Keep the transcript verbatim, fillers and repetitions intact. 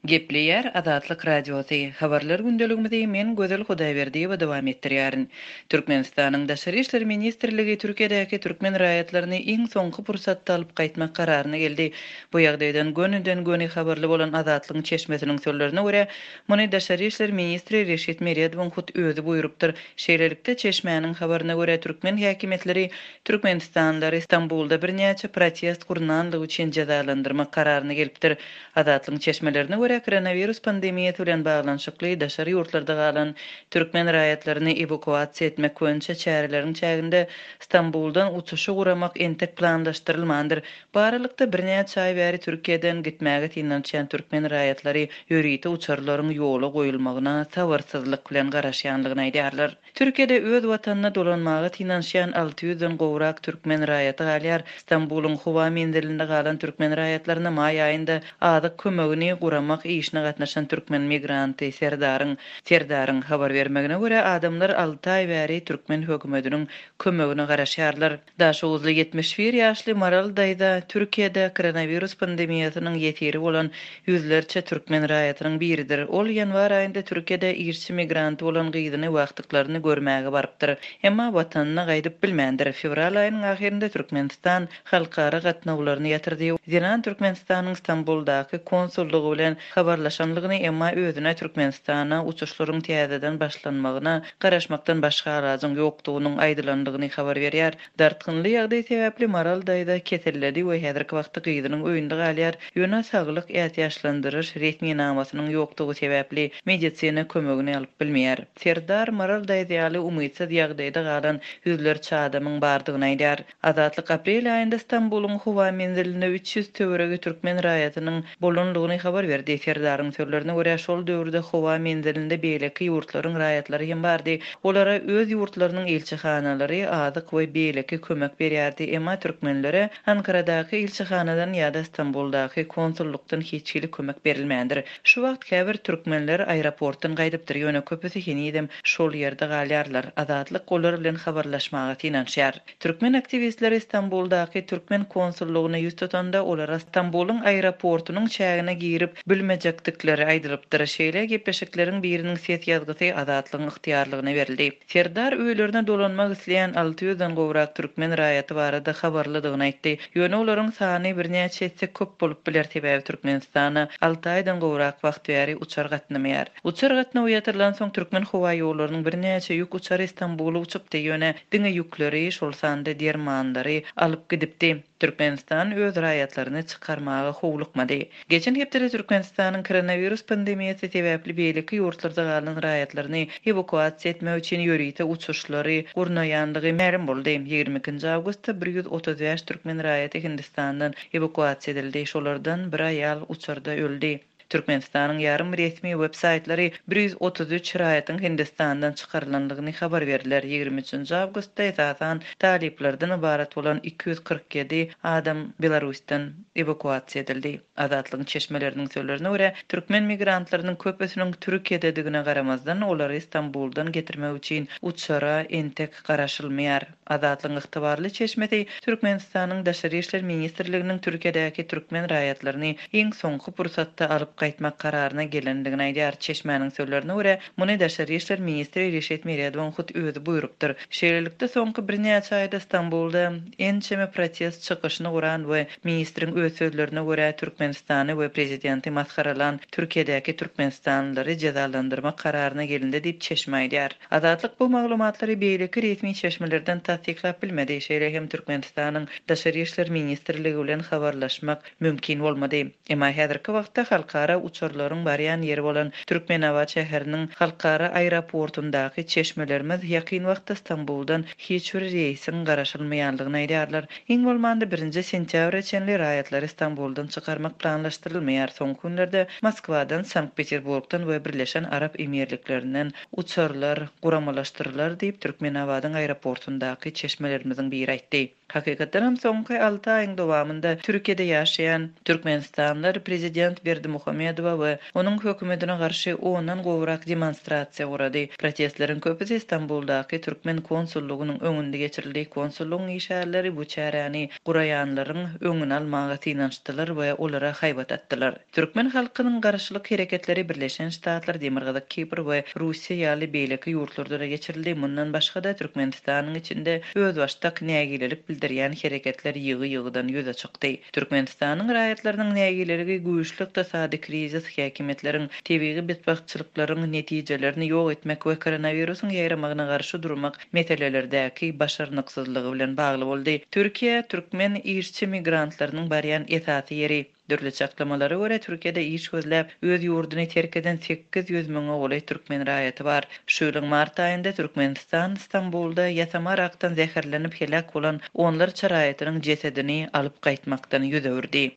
Gepleýär Azatlyk Radiosy. Habarlar gündeligimizi men Gözel Hudaýberdiýewa dowam etdirýärin. Türkmenistanyň Daşary işler ministrligi Türkiýedäki türkmen raýatlaryny iň soňky pursatda alyp gaýtmak kararyna geldi. Bu ýagdaýdan gönüden-göni habarly bolan Azatlygyň çeşmesiniň sözlerine görä, muny Daşary işler ministri Reşit Meredowyň hut özi buýrupdyr. Şeýlelikde çeşmäniň habaryna görä türkmen häkimiýetleri Türkmenistanlylary Stambulda birnäçe protest gurnanlygy üçin jezalandyrmak kararyna gelipdir. Azatlygyň çeşmelerine görä koronawirus pandemiýasy bilen baglanyşykly daşary ýurtlarda galan türkmen raýatlaryny ewakuasiýa etmek boýunça çäreleriň çäginde Stambuldan uçuşy guramak entek planlaşdyrylmandyr. Bu aralykda birnäçe aý bäri Türkiýeden gitmäge synanyşýan türkmen raýatlary ýörite uçarlaryň ýola goýulmagyna sabyrsyzlyk bilen garaşýanlygyny aýdýarlar. Türkiýede öz watanyna dolanmaga synanyşýan alty ýüzden gowrak türkmen raýaty galýar. Stambulyň howa menzilinde galan türkmen raýatlaryna maý aýynda azyk kömegini guramak işine gatnaşan türkmen migranty Serdaryň Serdaryň habar bermegine görä adamlar alty aý bäri türkmen hökümetiniň kömegine garaşýarlar. Daşoguzly ýetmiş bir ýaşly Maral daýza Türkiýede koronawirus pandemiýasynyň ýesiri bolan ýüzlerçe türkmen raýatynyň biridir. Ol ýanwar aýynda Türkiýede işçi migranty bolan gyzyny wagtyklaryny görmäge barypdyr. Emma watanyna gaýdyp bilmändir. Fewral aýynyň ahyrynda Türkmenistan halkara gatnawlaryny ýatyrdy. Zenan Türkmenistanyň Stambuldaky konsullygy bilen habarlaşanlygyny emma özüne Türkmenistana uçuşlaryň täzeden başlanmagyna garaşmakdan başga alajyň ýokdugynyň aýdylandygyny habar berýär. Dartgynly ýagdaý sebäpli Maral daýza keselledi we häzirki wagtda gyzynyň öýünde galýar. Ýöne saglyk ätiýaçlandyryş resminamasynyň ýokdugy sebäpli medisina kömegini alyp bilmeýär. Serdar Maral daýza ýaly umytsyz ýagdaýda galan ýüzlerçe adamyň bardygyny aýdýar. Azatlyk aprel aýynda Stambulyň howa menzilinde üç ýüz töweregi türkmen raýatynyň bolanlygyny habar berdi. Serdaryň sözlerine görä şol döwürde howa menzilinde beýleki ýurtlaryň raýatlary hem bardy. Olara öz ýurtlarynyň ilçihanalary azyk we beýleki kömek berýärdi. Emma türkmenlere Ankaradaky ilçihanadan ýa-da Stambuldaky konsullukdan hiç hili kömek berilmändir. Şu wagt käbir türkmenler aeroportdan gaýdypdyr, ýöne köpüsi henizem şol ýerde galýarlar. Azatlyk olar bilen habarlaşmaga synanyşýar. Türkmen aktiwistleri Stambuldaky türkmen konsullygyna ýüz tutanda olara Stambulyň aeroportunyň çägine girip bilmejekdikleri aýdylypdyr. Şeýle gepleşikleriň biriniň ses ýazgysy Azatlygyň ygtyýarlygyna berildi. Serdar öýlerine dolanmak isleýän alty ýüzden gowrak türkmen raýaty barada habarlydygyny aýtdy. Ýöne olaryň sany birnäçe etse köp bolup biler, sebäbi Türkmenistana alty aýdan gowrak wagt bäri uçar gatnamaýar. Uçar gatnawy ýatyrylan soň türkmen howa ýollarynyň birnäçe ýük uçary Stambula uçupdy. Ýöne diňe ýükleri, şol sanda dermanlary alyp gidipdi. Türkmenistan öz raýatlaryny çykarmaga howlukmady. Geçen hepdede Türkmenistanyň koronawirus pandemiýasy sebäpli beýleki ýurtlarda galan raýatlaryny ewakuasiýa etmek üçin ýörite uçuşlary gurnaýanlygy mälim boldy. Ýigrimi ikinji awgustda bir ýüz otuz bäş türkmen raýaty Hindistandan ewakuasiýa edildi. Şolardan bir aýal uçarda öldi. Türkmenistanyň ýarym resmi web-saýtlary bir ýüz otuz üç raýatyň Hindistandan çykarylanlygyny habar berdiler. Ýigrimi üçünji awgustda esasan talyplardan ybarat bolan iki ýüz kyrk ýedi adam Belarusdan ewakuasiýa edildi. Azatlygyň çeşmeleriniň sözlerine görä, türkmen migrantlarynyň köpüsiniň Türkiýededigine garamazdan olary Stambuldan getirmek üçin uçara entek garaşylmaýar. Azatlygyň ygtybarly çeşmesi Türkmenistanyň Daşary işler ministrliginiň Türkiýedäki türkmen raýatlaryny iň soňky pursatda alyp gaýtmak kararyna gelendigini aýdýar. Çeşmäniň sözlerine görä, muny Daşary işler ministri Reşit Meredowyň hut özi buýrupdyr. Şeýlelikde soňky birnäçe aýda Stambulda ençeme protest çykyşyny guran we ministriň öz sözlerine görä Türkmenistany we prezidenti masgaralan Türkiýedäki türkmenistanlylary jezalandyrmak kararyna gelindi diýip çeşme aýdýar. Azatlyk bu maglumatlary beýleki resmi çeşmelerden tassyklap bilmedi. Şeýle hem Türkmenistanyň Daşary işler ministrligi bilen habarlaşmak mümkin bolmady. Emma häzirki wagtda halkara uçarlaryň barýan ýeri bolan Türkmenabat şäheriniň halkara aeroportundaky çeşmelerimiz ýakyn wagtda Stambuldan hiç bir reýsiň garaşylmaýanlygyny aýdýarlar. Iň bolmanda birinji sentýabra çenli raýatlary Stambuldan çykarmak planlaşdyrylmaýar. Soňky günlerde Moskwadan, Sankt-Peterburgdan we Birleşen Arap Emirliklerinden uçarlar guramalaşdyrylar diýip Türkmenabadyň aeroportundaky çeşmelerimiziň biri aýtdy. Hakykatdanam soňky alty aýyň dowamynda Türkiýede ýaşaýan türkmenistanlylar prezident Berdimuhamedowa we onuň hökümetine garşy ondan gowrak demonstrasiýa gurady. Protestleriň köpüsi Stambuldaky türkmen konsullygynyň öňünde geçirildi. Konsullygyň işgärleri bu çäräni guraýanlaryň öňüni almaga synanyşdylar we olara haýbat atdylar. Türkmen halkynyň garşylyk hereketleri Birleşen Ştatlar, Demirgazyk Kipr we Russiýa ýaly beýleki ýurtlarda geçirildi. Mundan başga-da Türkmenistanyň içinde özbaşdak nägilelik bildirýän hereketler ýygy-ýygydan ýüze çykdy. Türkmenistanyň raýatlarynyň nägileligi güýçli ykdysady krizis, häkimiýetleriň tebigy betbagtçylyklaryň netijelerini ýok etmek we koronawirusyň ýaýramagyna garşy durmak meselelerdäki başarnyksyzlygy bilen bagly boldy. Türkiýe türkmen işçi migrantlarynyň barýan esasy ýeri. Dürli çaklamalara görä Türkiýede iş gözläp öz ýurduny terk eden sekiz ýüz müňe golaý türkmen raýaty bar. Şu ýylyň mart aýynda Türkmenistan Stambulda ýasama arakdan zäherlenip helak bolan onlarça raýatynyň jesedini alyp gaýtmakdan ýüz öwürdi.